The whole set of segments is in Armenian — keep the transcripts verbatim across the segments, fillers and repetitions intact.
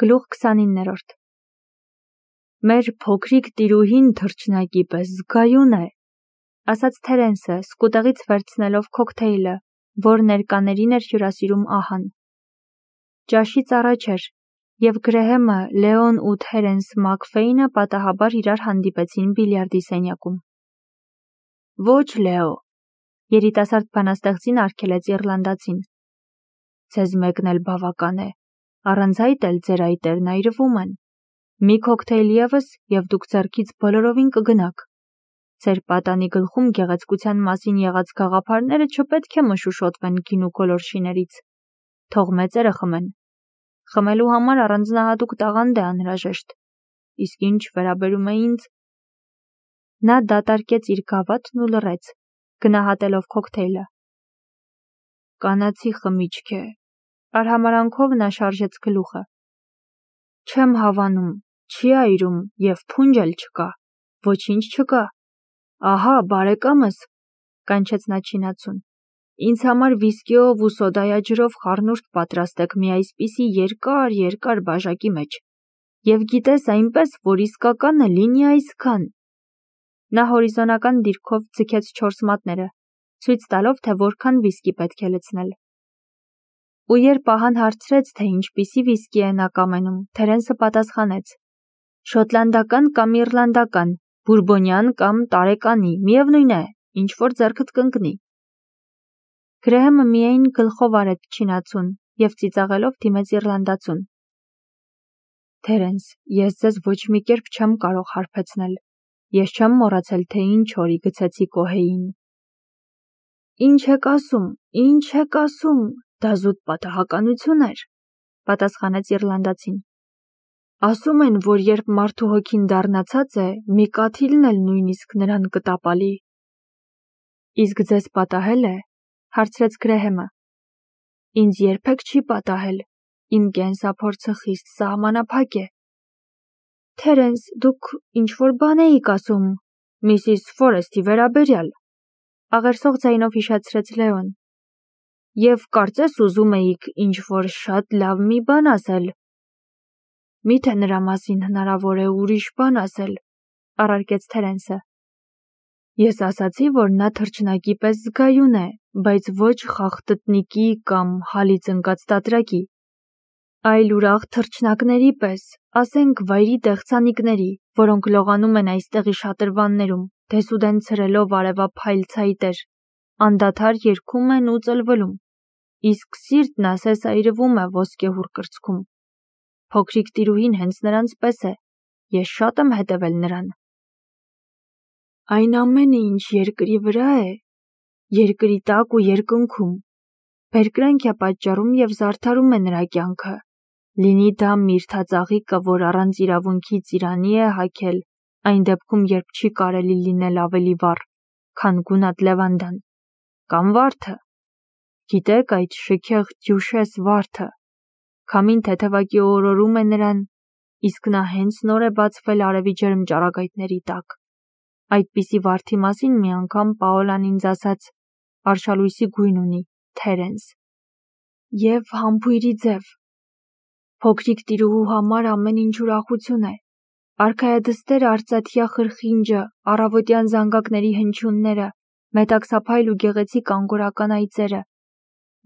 Գլուխ քսանիններորդ Մեր փոքրիկ տիրուհին թռչնակի պես զգայուն է, ասաց Թերենսը, սկուտեղից վերցնելով քոքթեյլը, որ ներկաներին էր հյուրասիրում ահան։ Ճաշից առաջ էր, և Գրեհեմը, Լեոն ու Թերենս Մաքֆեյնը պատահաբար իրար հանդիպեցին բիլիարդի սենյակում։ Ոչ, Լեո, երիտասարդ բանաստեղծին արգելեց իռլանդացին։ Ձեզ մեկն էլ բավական է, առանց այդ էլ ձեր այտերն այրվում են։ Մի քոքթեյլ ևս, և դուք ձեռքից բոլորովին կգնաք։ Ձեր պատանի գլխում գեղեցկության մասին եղած գաղափարները չպետք է մշուշոտվեն գինու գոլորշիներից։ Թող մեծերը խմեն։ Խմելու համար առանձնահատուկ տաղանդ է անհրաժեշտ։ Իսկ ինչ վերաբերում է ինձ։ Նա դատարկեց իր գավաթն ու լռեց, գնահատելով քոքթեյլը։ Կանացի խմիչք է։ Արհամարանքով նա շարժեց գլուխը։ Չեմ հավանում, չի այրում և փունջ էլ չկա, ոչինչ չկա։ Ահա, բարեկամս, կանչեց նա չինացուն, ինձ համար վիսկիով ու սոդայաջրով խառնուրդ պատրաստեք մի այսպիսի երկար, երկար բաժակի մեջ, և գիտես այնպես, որ իսկականը լինի այսքան։ Նա հորիզոնական դիրքով ձգեց չորս մատները, ցույց տալով, թե որքան վիսկի պետք է լցնել։ Ու երբ ահան հարցրեց, թե ինչպիսի վիսկի է նա կամենում, Թերենսը պատասխանեց. Շոտլանդական կամ իռլանդական, բուրբոնյան կամ տարեկանի, միևնույն է, ինչ որ ձեռքդ կընկնի։ Գրեհեմը միայն գլխով արեց չինացուն և ծիծաղելով դիմեց իռլանդացուն։ Թերենս, ես ձեզ ոչ մի կերպ չեմ կարող հարբեցնել։ Ես չեմ մոռացել, թե ինչ օրի գցեցի կոհեին։ Ինչ եք ասում, ինչ եք ասում, դա զուտ պատահականություն էր, պատասխանեց իռլանդացին։ Ասում են, որ երբ մարդու հոգին դառնացած է, մի կաթիլն էլ նույնիսկ նրան կտապալի։ Իսկ ձեզ պատահել է, հարցրեց Գրեհեմը։ Ինձ երբեք չի պատահել, իմ կենսափորձը խիստ սահմանափակ է։ Թերենս, դուք ինչ-որ բան էիք ասում, Միսիս Ֆորեսթի վերաբերյալ, աղերսող ձայնով հիշեցրեց Լեոն։ Եվ կարծես ուզում էիք ինչ-որ շատ լավ մի բան ասել։ Միթե նրա մասին հնարավոր է ուրիշ բան ասել, առարկեց Թերենսը։ Ես ասացի, որ նա թռչնակի պես զգայուն է, բայց ոչ խախտտնիկի կամ հալից ընկած տատրակի, այլ ուրախ թռչնակների պես, ասենք վայրի դեղցանիկների, որոնք լողանում են այստեղի շատրվաններում, դեսուդեն ցրելով արևափայլ ցայտեր, անդադար երգում են ու ծլվլում, իսկ սիրտն ասես այրվում է ոսկեհուռ կրծքում։ Փոքրիկ տիրուհին հենց նրանց պես է, ես շատ եմ հետևել նրան։ Այն ամենը, ինչ երկրի վրա է, երկրի տակ ու երկնքում, բերկրանք է պատճառում և զարդարում է նրա կյանքը, լինի դա միրթածաղիկը, որ առանց իրավունքի ծիրանի է հագել, այն դեպքում, երբ չի կարելի լինել ավելի վառ, քան գունատ լևանդան, կամ վարդը, գիտեք այդ շքեղ դյուշես վարդը, քամին թեթևակի օրորում է նրան, իսկ նա հենց նոր է բացվել արևի ջերմ ճառագայթների տակ։ Այդպիսի վարդի մասին մի անգամ Պաոլան ինձ ասաց, արշալույսի գույն ունի, Թերենս։ Եվ համբույրի ձև։ Փոքրիկ տիրուհու համար ամեն ինչ ուրախություն է։ Արքայադստեր արծաթյա խրխինջը, առավոտյան զանգակների հնչյունները, մետաքսափայլ ու գեղեցիկ անգորական այծերը,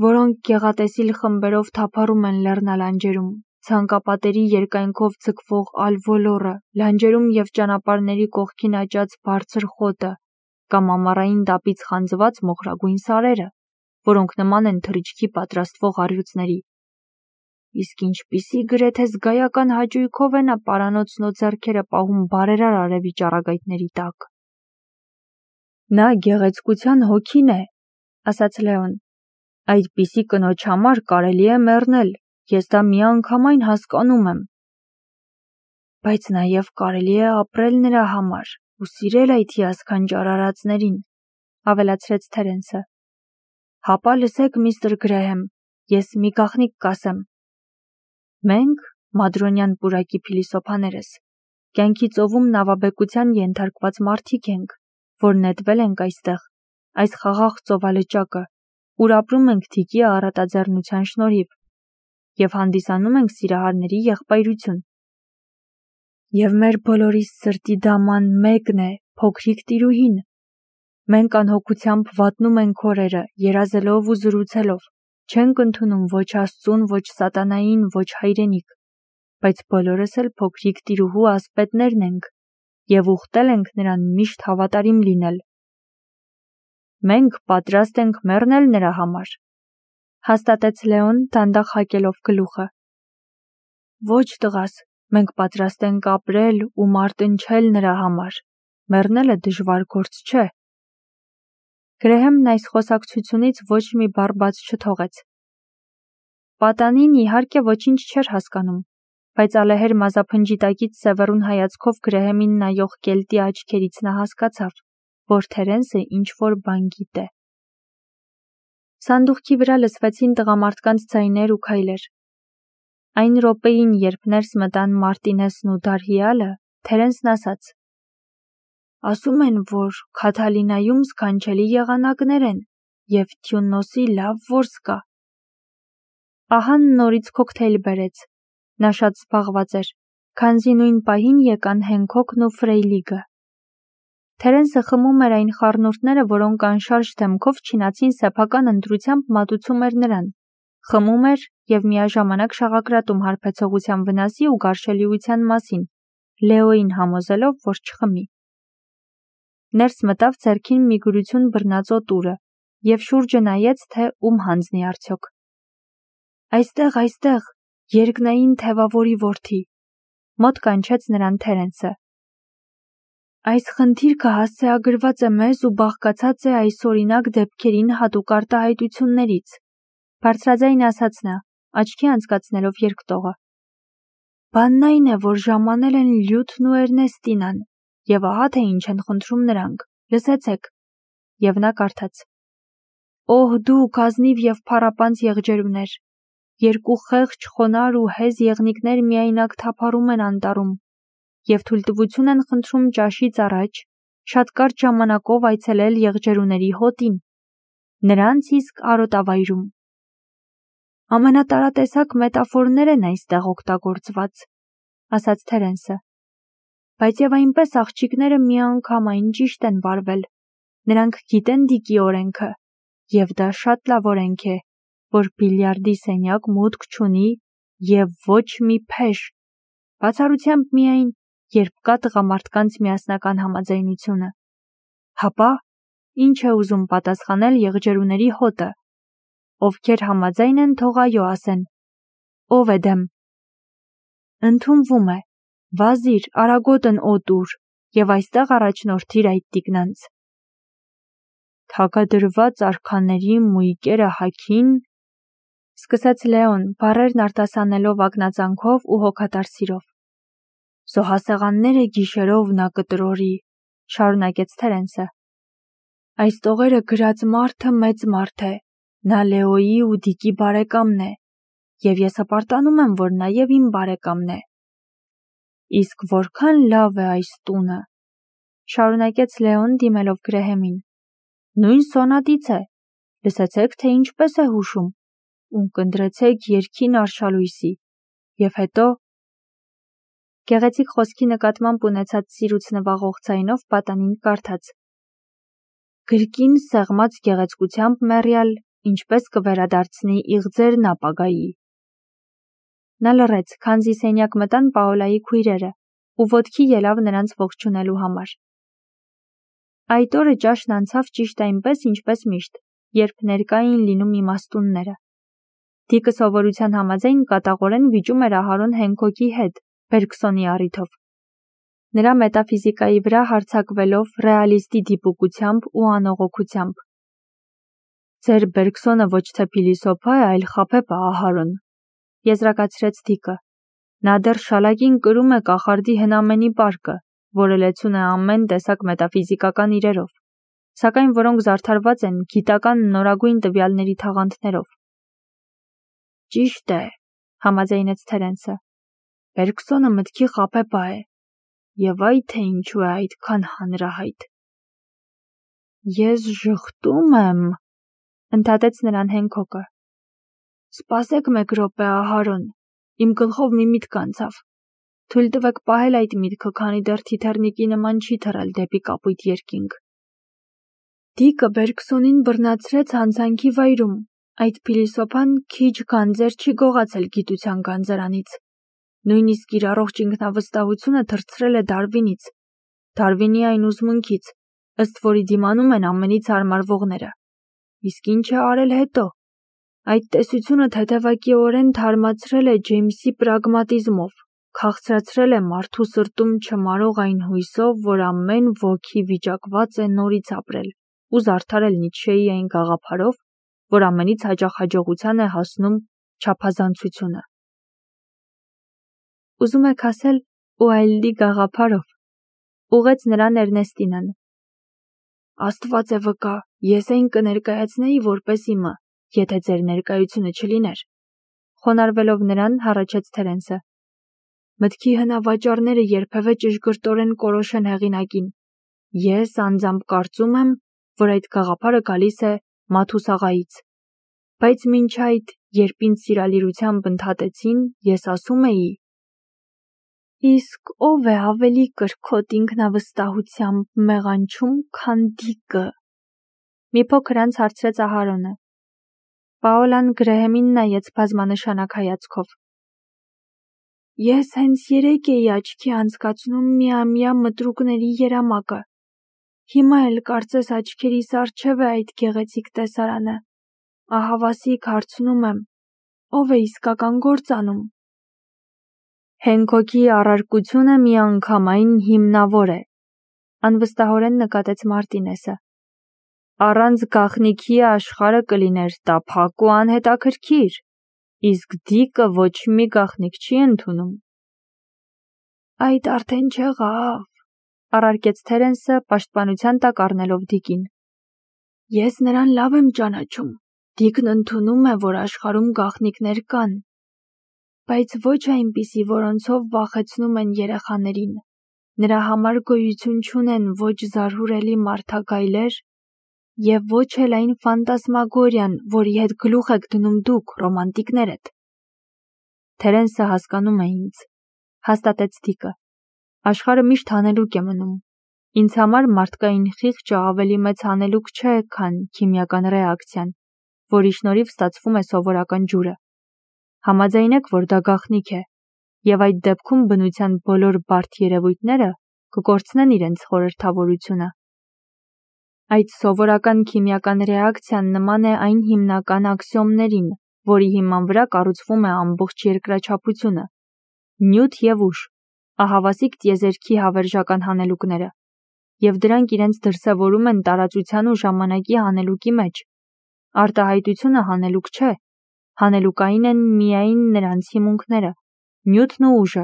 որոնք գեղատեսիլ խմբերով թափառում են լեռնալանջերում, ցանկապատերի երկայնքով ձգվող ալվոլորը, լանջերում և ճանապարհների կողքին աճած բարձր խոտը, կամ ամառային տապից խանձված մոխրագույն սարերը, որոնք նման են թռիչքի պատրաստվող առյուծների։ Իսկ ինչպիսի գրեթե զգայական հաճույքով է նա պարանոցն ու ձեռքերը պահում բարերար արևի ճառագայթների տակ։ Նա գեղեցկության հոգին է, ասաց Լեոն։ Այդպիսի կնոջ համար կարելի է մեռնել, ես դա միանգամայն հասկանում եմ։ Բայց նաև կարելի է ապրել նրա համար ու սիրել այդ հիասքանչ արարածներին, ավելացրեց Թերենսը։ Հապա լսեք, միստր Գրեհեմ, ես մի գաղտնիք կասեմ։ Մենք, մադրոնյան պուրակի փիլիսոփաներս, կյանքի ծովում նավաբեկության ենթարկված մարդիկ ենք, որ նետվել ենք այստեղ, այս խաղաղ ծովալճակը, ուր ապրում ենք թիկի առատաձեռնության շնորհիվ։ և հանդիսանում ենք սիրահարների եղբայրություն։ Եվ մեր բոլորիս սրտի դաման մեկն է, փոքրիկ տիրուհին։ Մենք անհոգությամբ վատնում ենք օրերը, երազելով ու զրուցելով, չենք ընդունում ոչ Աստծուն, ոչ սատանային, ոչ հայրենիք, բայց բոլորս էլ փոքրիկ տիրուհու ասպետներն ենք և ուխտել ենք նրան միշտ հավատարիմ լինել։ Մենք պատրաստ ենք մեռնել նրա համար, հաստատեց Լեոն դանդաղ հակելով գլուխը։ Ոչ տղաս, մենք պատրաստ ենք ապրել ու մարտնչել նրա համար, մեռնելը դժվար գործ չէ։ Գրեհեմն այս խոսակցությունից ոչ մի բառ բաց չթողեց։ Պատանին իհարկե ոչինչ չէր հասկանում, բայց ալեհեր մազափնջի տակից սևեռուն հայացքով Գրեհեմին նայող կելտի աչքերից նա հասկացավ, որ Թերենսը ինչ-որ բան գիտե։ Սանդուղքի վրա լսվեցին տղամարդկանց ձայներ ու քայլեր։ Այն րոպեին, երբ ներս մտան Մարտինեսն ու Դարհիալը, Թերենսն ասաց. Ասում են, որ Քաթալինայում սքանչելի եղանակներ են և Թյունոսի լավ որս կա։ Ահան նորից քոքթեյլ բերեց։ Նա շատ զբաղված էր, քանզի նույն պահին եկան Հենքոքն ու Ֆրեյլիգը։ Թերենսը խմում էր այն խառնուրդները, որոնք անշարժ դեմքով չինացին սեփական ընտրությամբ մատուցում էր նրան, խմում էր և միաժամանակ շաղակրատում հարբեցողության վնասի ու գարշելիության մասին, Լեոյին համոզելով, որ չխմի։ Ներս մտավ ձեռքին մի գրություն բռնած օտուրը և շուրջը նայեց, թե ում հանձնի արդյոք։ Այստեղ, այստեղ, երկնային թևավորի որդի, մոտ կանչեց նրան Թերենսը։ Այս խնդիրքը հասցեագրված է մեզ ու բաղկացած է այսօրինակ դեպքերին հատուկ արտահայտություններից, բարձրաձայն ասաց նա, աչքի անցկացնելով երկտողը։ Բանն այն է, որ ժամանել են Լյութն ու Էրնեստինան, և ահա թե ինչ են խնդրում նրանք, լսեցեք։ Եվ նա կարդաց. Օհ դուք ազնիվ և փառապանծ եղջերուներ, երկու խեղճ, խոնար ու հեզ եղնիկներ միայնակ թափառում են անտառում և թույլտվություն են խնդրում ճաշից առաջ շատ կարճ ժամանակով այցելել եղջերուների հոտին, նրանց իսկ արոտավայրում։ Ամենատարատեսակ մետաֆորներ են այստեղ օգտագործված, ասաց Թերենսը, բայց և այնպես աղջիկները միանգամայն ճիշտ են վարվել, նրանք գիտեն Դիկի օրենքը, և դա շատ լավ օրենք է, որ բիլիարդի սենյակ մուտք չունի և ոչ մի փեշ, բացառությամբ միայն, երբ կա տղամարդկանց միասնական համաձայնությունը։ Հապա, ինչ է ուզում պատասխանել եղջերուների հոտը։ Ովքեր համաձայն են, թող այո ասեն։ Ով է դեմ։ Ընդունվում է, վազիր, արագոտն օտուր և այստեղ առաջնորդիր այդ տիկնանց։ Թագադրված արքաների մույկերը հագին, սկսեց Լեոն, բառերն արտասանելով ակնածանքով ու հոգատար սիրով։ Զոհասեղանները գիշերով նա կտրորի, շարունակեց Թերենսը։ Այս տողերը գրած մարդը մեծ մարդ է, նա Լեոյի ու Դիկի բարեկամն է, և ես հպարտանում եմ, որ նաև իմ բարեկամն է։ Իսկ որքան լավ է այս տունը, շարունակեց Լեոն դիմելով Գրեհեմին։ Նույն սոնատից է, լսեցեք, թե ինչպես է հուշում, ունկնդրեցեք երգին արշալույսի, և հետո… Գեղեցիկ խոսքի նկատմամբ ունեցած սիրուց նվաղող ձայնով պատանին կարդաց. Գրկին սեղմած գեղեցկությամբ մեռյալ, ինչպես կվերադարձնի իղձերն ապագայի։ Նա լռեց, քանզի սենյակ մտան Պաոլայի քույրերը, ու ոտքի ելավ նրանց ողջունելու համար։ Այդ օրը ճաշն անցավ ճիշտ այնպես, ինչպես միշտ, երբ ներկա էին լինում իմաստունները։ Դիկը սովորության համաձայն կատաղորեն վիճում էր Ահարոն Հենքոքի հետ, Բերգսոնի առիթով։ Նրա մետաֆիզիկայի վրա հարձակվելով ռեալիստի դիպուկությամբ ու անողոքությամբ։ Ձեր Բերգսոնը ոչ թե փիլիսոփա է, այլ խաբեբա, Ահարոն, եզրակացրեց Դիկը։ Նա դեռ շալակին կրում է կախարդի հնամենի պարկը, որը լեցուն է ամեն տեսակ մետաֆիզիկական իրերով, սակայն որոնք զարդարված են գիտական նորագույն տվյալների թաղանթներով։ Ճիշտ է, համաձայնեց Թերենսը։ Բերգսոնը մտքի խաբեբա է, և այ թե ինչու է այդքան հանրահայտ։ Ես ժխտում եմ, ընդհատեց նրան Հենքոքը։ Սպասեք մեկ րոպե, Ահարոն, իմ գլխով մի միտք անցավ։ Թույլ տվեք պահել այդ միտքը, քանի դեռ թիթեռնիկի նման չի թռել դեպի կապույտ երկինք։ Դիկը Բերգսոնին բռնացրեց հանցանքի վայրում, այդ փիլիսոփան քիչ գանձեր չի գողացել գիտության գանձարանից։ Նույնիսկ իր առողջ ինքնավստահությունը թռցրել է Դարվինից, Դարվինի այն ուսմունքից, ըստ որի դիմանում են ամենից հարմարվողները։ Իսկ ինչ է արել հետո։ Այդ տեսությունը թեթևակիորեն թարմացրել է Ջեյմսի պրագմատիզմով, քաղցրացրել է մարդու սրտում չմարող այն հույսով, որ ամեն ոգի վիճակված է նորից ապրել, ու զարդարել Նիցշեի այն գաղափարով, որ ամենից հաճախ հաջողության է հասնում չափազանցությունը։ Ուզում եք ասել Ուայլդի գաղափարով, ուղղեց նրան Էրնեստինան։ Աստված է վկա, ես այն կներկայացնեի որպես իմը, եթե ձեր ներկայությունը չլիներ։ Խոնարհվելով նրան հառաչեց Թերենսը։ Մտքի հնավաճառները երբևէ ճշգրտորեն կորոշեն հեղինակին։ Ես անձամբ կարծում եմ, որ այդ գաղափարը գալիս է Մաթուսաղայից։ Բայց մինչ այդ, երբ ինձ սիրալիրությամբ ընդհատեցին, ես ասում էի. Իսկ ով է ավելի կրքոտ ինքնավստահությամբ մեղանչում, քան Դիկը։ Մի փոքր անց հարցրեց Ահարոնը։ Պաոլան Գրեհեմին նայեց բազմանշանակ հայացքով։ Ես հենց երեկ էի աչքի անցկացնում միամյա մտրուկների երամակը։ Հիմա էլ կարծես աչքերիս առջև է այդ գեղեցիկ տեսարանը։ Ահավասիկ հարցնում եմ, ով է իսկական գործ անում։ Հենքոքի առարկությունը միանգամայն հիմնավոր է, անվստահորեն նկատեց Մարտինեսը։ Առանց գաղտնիքի աշխարհը կլիներ տափակ ու անհետաքրքիր, իսկ Դիկը ոչ մի գաղտնիք չի ընդունում։ Այդ արդեն չեղավ, առարկեց Թերենսը, պաշտպանության տակ առնելով Դիկին։ Ես նրան լավ եմ ճանաչում։ Դիկն ընդունում է, որ աշխարհում գաղտնիքներ կան, բայց ոչ այնպիսի, որոնցով վախեցնում են երեխաներին։ Նրա համար գոյություն չունեն ոչ զարհուրելի մարդագայլեր և ոչ էլ այն ֆանտասմագորիան, որի հետ գլուխ եք դնում դուք, ռոմանտիկներդ։ Թերենսը հասկանում է ինձ, հաստատեց Դիկը։ Աշխարհը միշտ հանելուկ է մնում։ Ինձ համար մարդկային խիղճը ավելի մեծ հանելուկ չէ, քան քիմիական ռեակցիան, որի շնորհիվ ստացվում է սովորական ջուրը։ Համաձայն եք, որ դա գաղտնիք է, և այդ դեպքում բնության բոլոր բարդ երևույթները կկորցնեն իրենց խորհրդավորությունը։ Այդ սովորական քիմիական ռեակցիան նման է այն հիմնական աքսիոմներին, որի հիման վրա կառուցվում է ամբողջ երկրաչափությունը։ Նյութ և ուժ, ահավասիկ տիեզերքի հավերժական հանելուկները, և դրանք իրենց դրսևորում են տարածության ու ժամանակի հանելուկի մեջ։ Արտահայտությունը հանելուկ չէ, հանելուկային են միայն նրանց հիմունքները, նյութն ու ուժը,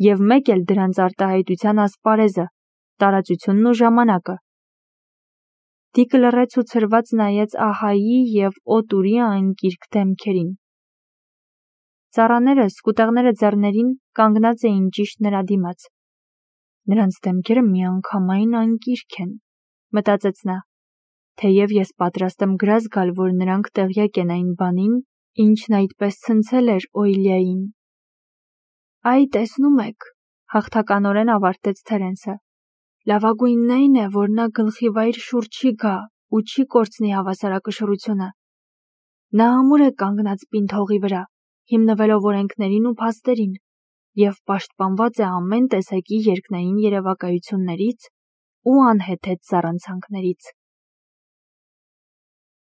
և մեկ էլ դրանց արտահայտության ասպարեզը, տարածությունն ու ժամանակը։ Դիկը լռեց ու ցրված նայեց Ահայի և Օտուրի անկիրք դեմքերին։ Ծառաները, սկուտեղները ձեռներին, կանգնած էին ճիշտ նրա դիմաց։ Նրանց դեմքերը միանգամայն անկիրք են, մտածեց նա, թեև ես պատրաստ եմ գրազ գալ, որ նրանք տեղյակ են այն բանին, ինչն այդպես ցնցել էր Օյլիային։ Այ տեսնում եք, հաղթականորեն ավարտեց Թերենսը։ Լավագույնն այն է, որ նա գլխի վայր շուռ չի գա ու չի կորցնի հավասարակշռությունը։ Նա ամուր է կանգնած պինդ հողի վրա, հիմնվելով օրենքներին ու փաստերին, և պաշտպանված է ամեն տեսակի երկնային երևակայություններից ու անհեթեթ զառանցանքներից։